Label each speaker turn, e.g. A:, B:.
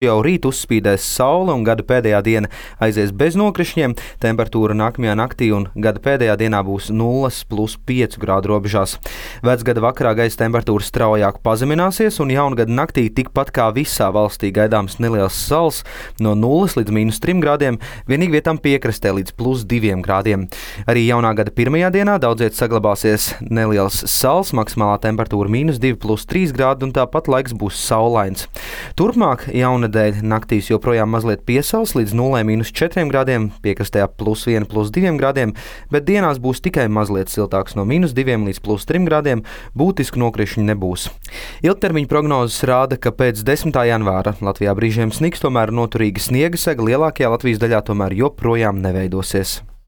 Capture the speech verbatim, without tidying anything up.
A: Jau rīt uzspīdēs saule un gada pēdējā diena aizies bez nokrišņiem. Temperatūra nākamajā naktī un gada pēdējā dienā būs nulles plus piecu grādu robežās. Vecgada vakarā gaisa temperatūra straujāk pazemināsies un jaungada naktī tikpat kā visā valstī gaidāms neliels sals no nulles līdz mīnus trim grādiem, vienīgi vietām piekrastē līdz plus diviem grādiem. Arī jaunā gada pirmajā dienā daudziet saglabāsies neliels sals, maksimālā temperatūra mīnus divi plus trīs grādi un tāpat laiks būs saulains. Turpmāk jauna dēļ naktīs joprojām mazliet piesals līdz nulē mīnus četriem grādiem, piekrastē plus viena plus diviem grādiem, bet dienās būs tikai mazliet siltāks no mīnus diviem līdz plus trim grādiem, būtisku nokrišņu nebūs. Ilgtermiņa prognozes rāda, ka pēc desmitā janvāra Latvijā brīžiem sniks, tomēr noturīga sniega sega lielākajā Latvijas daļā tomēr joprojām neveidosies.